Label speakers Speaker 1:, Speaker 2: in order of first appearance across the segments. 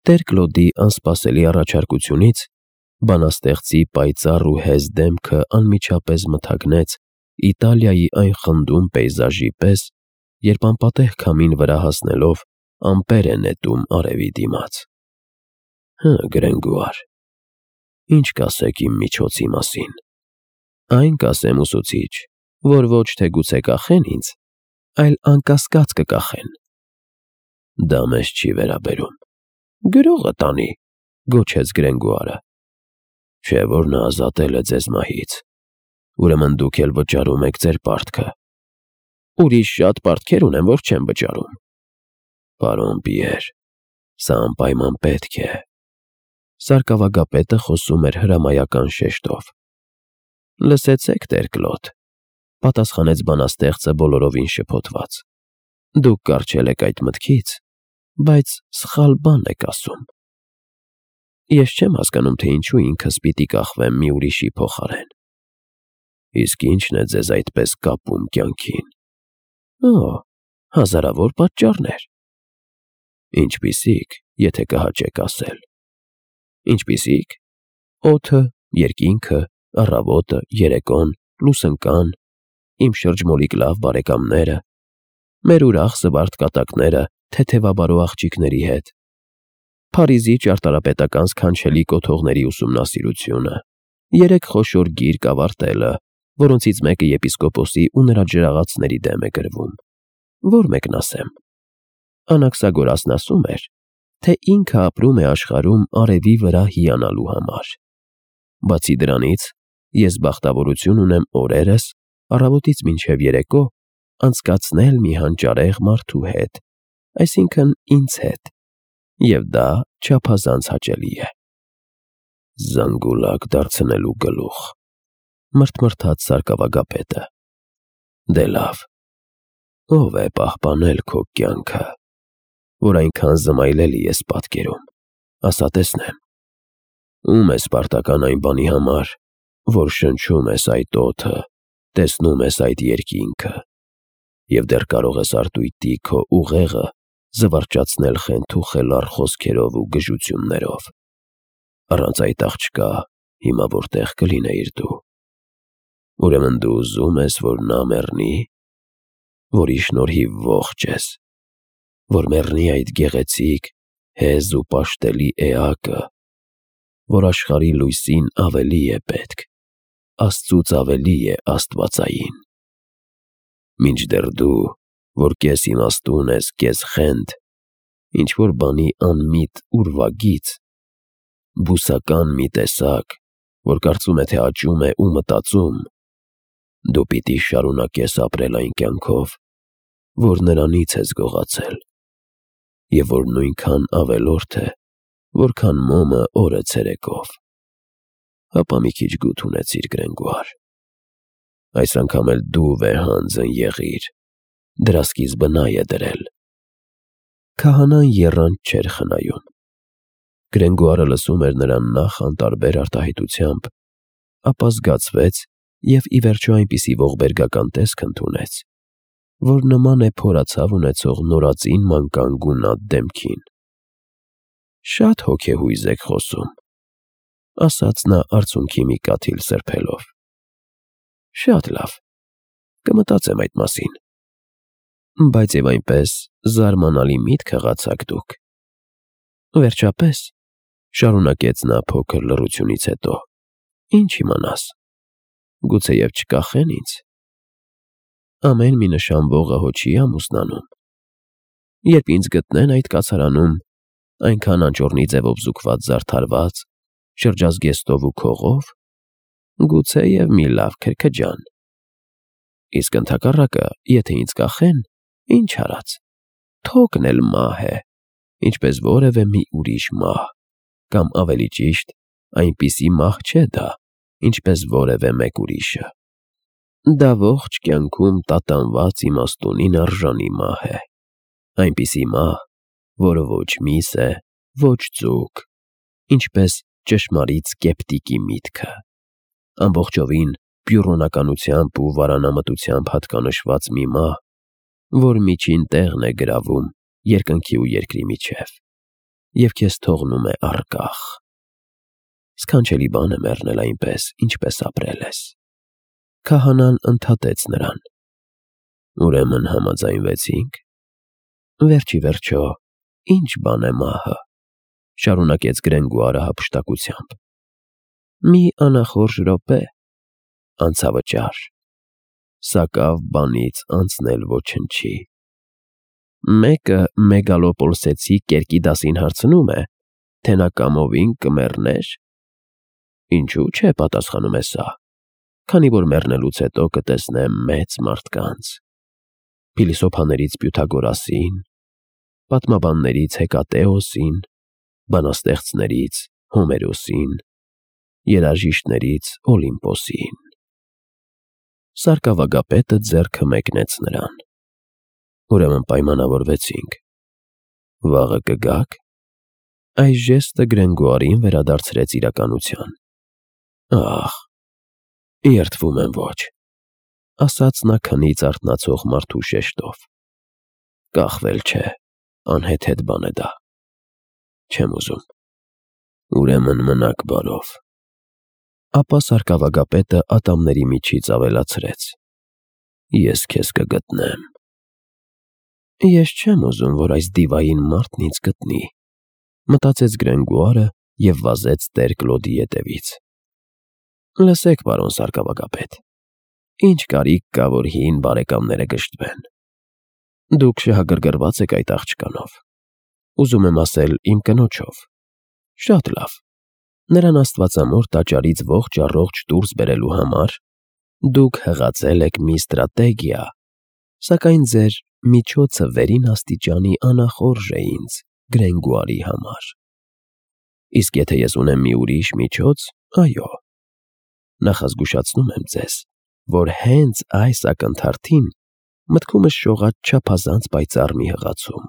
Speaker 1: Տեր-Կլոդի անսպասելի առաջարկությունից բանաստեղծի պայծառ ու հեզ դեմքը անմիջապես մթագնեց Իտալիայի այն խնդուն պեյզաժի պես, երբ անպատեհ քամին վրա հասնելով ամպեր է նետում արևի դիմաց։ Գրենգուար, ինչ կասեք իմ միջոցի մասին։ Այն կասեմ, ուսուցիչ, որ ոչ թե գուցե կախեն ինձ, այլ անկասկած կկախեն։ Դա մեզ չի վերաբերում։ Գրողը տանի, գոչեց Գրենգուարը։ Չէ՞ որ նա ազատել է ձեզ մահից։ Ուրեմն դուք էլ վճարում եք ձեր պարտքը։ Ուրիշ շատ պարտքեր ունեմ, որ չեմ վճարում։ Պարոն Պիեր, սա անպայման պետք է։ Սարկավագապետը խոսում էր հրամայական շեշտով։ Լսեցեք, Տեր-Կլոդ, պատասխանեց բանաստեղծը բոլորովին շփոթված։ Դուք կառչել եք այդ մտքից, բայց սխալ բան եք ասում։ Ես չեմ հասկանում, թե ինչու ինքս պիտի կախվեմ մի ուրիշի փոխարեն։ Իսկ ի՞նչն է ձեզ այդպես կապում կյանքին։ Հազարավոր պատճառներ։ Ինչպիսի՞ք, եթե կհաճեք ասել։ Ինչպիսի՞ք։ Օդը, երկինքը, առավոտը, երեկոն, լուսընկան, իմ շրջմոլիկ լավ բարեկամները, մեր ուրախ զվարթ կատակները թեթևաբարո աղջիկների հետ, Փարիզի ճարտարապետական սքանչելի կոթողների ուսումնասիրությունը, 3 խոշոր գիրք ավարտելը, որոնցից մեկը եպիսկոպոսի ու նրա ջրաղացների դեմ է գրվում։ Որ մեկն ասեմ։ Անաքսագորասն ասում էր, թե ինքը ապրում է աշխարհում արևի վրա հիանալու համար։ Բացի դրանից, ես բախտավորություն ունեմ օրերս, առավոտից մինչև երեկո, անցկացնել մի հանճարեղ մարդու հետ, այսինքն ինձ հետ, և դա չափազանց հաճելի է։ Զանգուլակ դարձնելու գլուխ, մրթմրթաց սարկավագապետը։ Դե լավ, ով է պահպանել քո կյանքը, որ այնքան զմայլելի ես պատկերում, ասա տեսնեմ։ Ում ես պարտական այն բանի համար, որ շնչում ես այդ օդը, տեսնում ես այդ երկինքը, և դեռ կարող ես արտույտի քո ուղեղը զվարճացնել խենթուխելառ խոսքերով ու գժություններով։ Առանց այդ աղջկա հիմա որտեղ կլինեիր դու։ Ուրեմն դու ուզում ես, որ նա մեռնի, որի շնորհիվ ողջ ես, որ մեռնի այդ գեղեցիկ, հեզ ու պաշտելի էակը, որ աշխարհի լույսին ավելի է պետք, Աստծուց ավելի է աստվածային։ Մինչդեռ դու, որ կես իմաստուն ես, կես խենթ, ինչ-որ բանի անմիտ ուրվագիծ, բուսական մի տեսակ, որ կարծում է, թե աճում է ու մտածում, դու պիտի շարունակես ապրել այն կյանքով, որ նրանից ես գողացել, և որ նույնքան ավելորդ է, որքան մոմը օրը ցերեկով։ Հապա մի քիչ գութ ունեցիր, Գրենգուար։ Այս անգամ էլ դու վեհանձն եղիր, դրա սկիզբը նա է դրել։ Քահանան եռանդ չէր խնայում։ Գրենգուարը լսում էր նրան նախ անտարբեր արտահայտությամբ, ապա զգացվեց և ի վերջո այնպիսի ողբերգական տեսք ընդունեց, որ նման է փորացավ ունեցող նորածին մանկան գունատ դեմքին։ Շատ հոգեհույզ եք խոսում, ասաց նա արցունքի մի կաթիլ սրբելով։ Շատ լավ, կմտածեմ այդ մասին։ Բայց և այնպես զարմանալի միտք հղացաք դուք։ Վերջապես, շարունակեց նա փոքր լռությունից հետո, ինչ իմանաս, գուցեև չկախեն ինձ։ Ամեն մի նշանվողը հո չի ամուսնանում։ Երբ ինձ գտնեն այդ կացարանում, այնքան անճոռնի ձևով զուգված զարդարված, շրջազգեստով ու քողով, գուցեև մի լավ քրքջան։ Իսկ ընդհակառակը, եթե ինձ կախեն, ինչ արած, թոկն էլ մահ է, ինչպես որևէ մի ուրիշ մահ, կամ ավելի ճիշտ, այնպիսի մահ չէ դա, ինչպես որևէ մեկ ուրիշը։ Դա ողջ կյանքում տատանված իմաստունին արժանի մահ է, այնպիսի մահ, որը ոչ միս է, ոչ ձուկ, ինչպես ճշմարիտ սկեպտիկի միտքը, ամբողջովին պյուրոնականությամբ ու վարանամտությամբ հատկանշված մի մահ, որ միջին տեղն է գրավում երկնքի ու երկրի միջև։ և քեզ թողնում է առկախ։ Սքանչելի բան է մեռնել այնպես, ինչպես ապրել ես։ Քահանան ընդհատեց նրան։ Ուրեմն համաձայնվեցինք։ Վերջ ի վերջո, ինչ բան է մահը, շարունակեց Գրենգուարը հափշտակությամբ։ Մի անախորժ րոպե, անցավճար, սակավ բանից անցնել ոչնչի։ Մեկը մեգալոպոլսեցի կերկի դասին հարցնում է, թե նա կամովին կմեռներ։ Ինչու՞ չէ, պատասխանում է սա, քանի որ մեռնելուց հետո կտեսնեմ մեծ մարդկանց, փիլիսոփաներից Պյութագորասին, պատմաբաններից Հեկատեոսին, բանաստեղծներից Հոմերոսին, երաժիշտներից Օլիմպոսին։ Սարկավագապետը ձեռքը մեկնեց նրան։ Ուրեմն պայմանավորվեցինք։ Վաղը կգաք։ Այս ժեստը Գրենգուարին վերադարձրեց իրականության։ Ահ, երդվում եմ ոչ, ասաց նա քնից արթնացող մարդու շեշտով։ Կախվել չէ, անհեթեթ բան է դա։ Չեմ ուզում։ Ուրեմն մնաք բարով։ Ապա սարկավագապետը ատամների միջից ավելացրեց. Ես քեզ կգտնեմ։ Ես չեմ ուզում, որ այս դիվային մարդն ինձ գտնի, մտածեց Գրենգուարը և վազեց տեր Կլոդի ետևից։ Լսեք, պարոն սարկավագապետ, ինչ կարիք կա, որ հին բարեկամները գժտվեն։ Դուք շահագրգռված եք այդ աղջկանով, ուզում եմ ասել իմ կնոջով։ Շատ լավ։ Նրան աստվածամոր տաճարից ողջ առողջ դուրս բերելու համար դուք հղացել եք մի ստրատեգիա, սակայն ձեր միջոցը վերին աստիճանի անախորժ է ինձ, Գրենգուարի համար։ Իսկ եթե ես ունեմ մի ուրիշ միջոց, այո, նախազգուշացնում եմ ձեզ, որ հենց այս ակնթարթին մտքումս շողաց չափազանց պայծառ մի հղացում։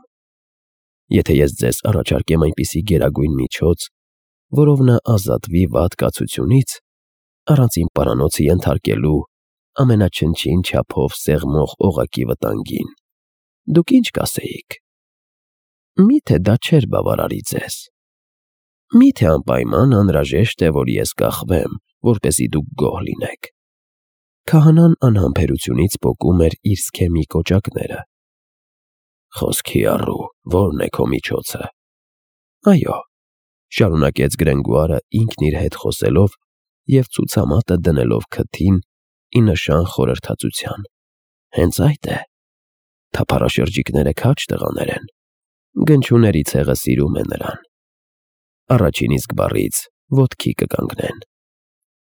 Speaker 1: Եթե ես ձեզ առաջարկեմ այնպիսի գերագույն միջոց, որով նա ազատվի վատ կացությունից, առանց իմ պարանոցը ենթարկելու ամենաչնչին չափով սեղմող օղակի վտանգին, դուք ինչ կասեիք։ Միթե դա չէր բավարարի ձեզ։ Միթե անպայման անհրաժեշտ է, որ ես կախվեմ, որպեսզի դուք գոհ լինեք։ Քահանան անհամբերությունից պոկում էր իր սքեմի կոճակները։ Խոսքի առու, ո՞րն է քո միջոցը։ Այո, շարունակեց Գրենգուարը ինքն իր հետ խոսելով և ցուցամատը դնելով քթին ի նշան խորհրդածության։ Հենց այդ է։ Թափառաշրջիկները քաջ տղաներ են։ Գնչուների ցեղը սիրում է նրան։ Առաջին իսկ բառից ոտքի կկանգնեն։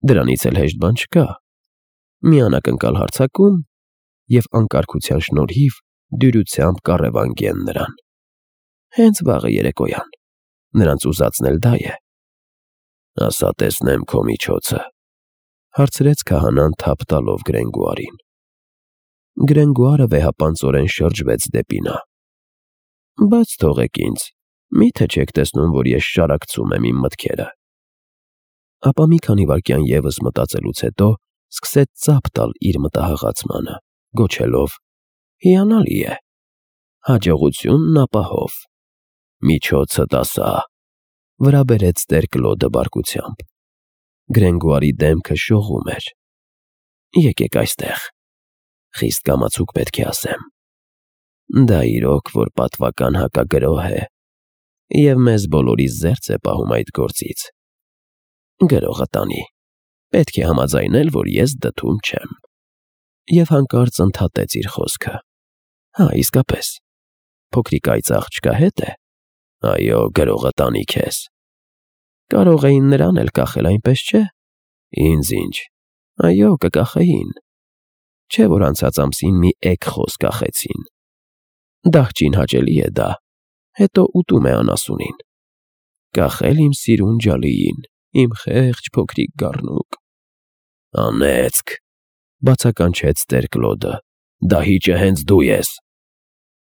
Speaker 1: Դրանից էլ հեշտ բան չկա։ Մի անակնկալ հարձակում և անկարգության շնորհիվ դյուրությամբ կառևանգեն նրան։ Հենց վաղը երեկոյան։ Նրանց ուզածն էլ դա է։ Ասա տեսնեմ քո միջոցը, հարցրեց քահանան թափ տալով Գրենգուարին։ Գրենգուարը վեհապանծորեն շրջվեց դեպի նա։ Բաց թողեք ինձ, միթե չեք տեսնում, որ ես շարակցում եմ իմ մտքերը։ Ապա մի քանի վայրկյան ևս մտածելուց հետո սկսեց ծափ տալ իր մտահղացմանը, գոչելով. Հիանալի է։ Հաջողությունն ապահով։ Միջոցդ ասա, վրա բերեց տեր Կլոդը բարկությամբ։ Գրենգուարի դեմքը շողում էր։ Եկեք այստեղ։ Խիստ կամացուկ պետք է ասեմ։ Դա իրոք, որ պատվական հակագրոհ է, և մեզ բոլորիս զերծ է պահում այդ գործից։ Գրողը տանի, պետք է համաձայնել, որ ես դդում չեմ։ Եվ հանկարծ ընդհատեց իր խոսքը. Հա, իսկապես, փոքրիկ այծ աղջկա հետ է։ Այո, գրողը տանի քեզ։ Կարող էին նրան էլ կախել, այնպես չէ։ Ինձ ինչ։ Այո, կկախեին։ Չէ՞ որ անցած ամսին մի էգ խոս կախեցին։ Դահճին հաճելի է դա, հետո ուտում է անասունին։ Կախել իմ սիրուն ջալիին, իմ խեղճ փոքրիկ գառնուկ։ Անեծք, բացականչեց տեր Կլոդը, դահիճը հենց դու ես։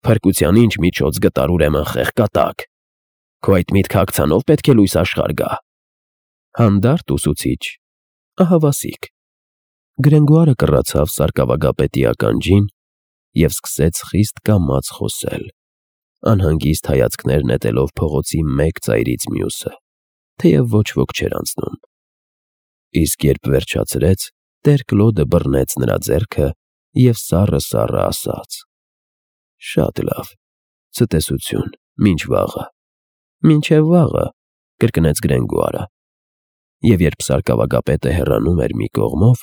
Speaker 1: Փրկության ինչ միջոց գտար ուրեմն խեղկատակ։ Քո այդ միտքը ակցանով պետք է լույս աշխարհ գա։ Հանդարտ ուսուցիչ, ահավասիկ։ Գրենգուարը կռացավ սարկավագապետի ականջին և սկսեց խիստ կամաց խոսել։ անհանգիստ հայացքներ նետելով փողոցի մեկ ծայրից մյուսը, թեև ոչ ոք չէր անցնում։ Իսկ երբ վերջացրեց, տեր Կլոդը բռնեց նրա ձեռքը և սառը ասաց. «Շատ լավ, ցտեսություն, մինչ վաղը»։ «Մինչև վաղը», կրկնեց Գրենգոարը։ Եվ երբ սարկավագապետը հեռանում էր մի կողմով,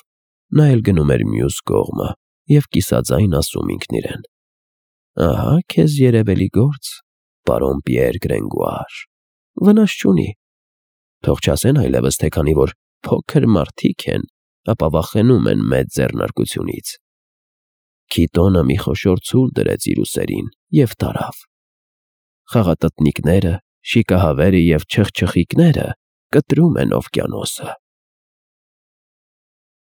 Speaker 1: նա էլ գնում էր մյուս կողմը և կիսաձայն ասում ինքն իրեն. «Ահա քեզ երևելի գործ, պարոն Պիեր Գրենգոար, վնաս չունի։ Թող չասեն այլևս, թե քանի որ փոքր մարդիկ են, ապա վախենում են մեծ ձեռնարկությունից»։ Քիտոնը մի խոշոր ցուլ դրեց իր ուսերին և տարավ։ Խաղատտնիկները, շիկահավերը և չխչխիկները կտրում են օվկիանոսը։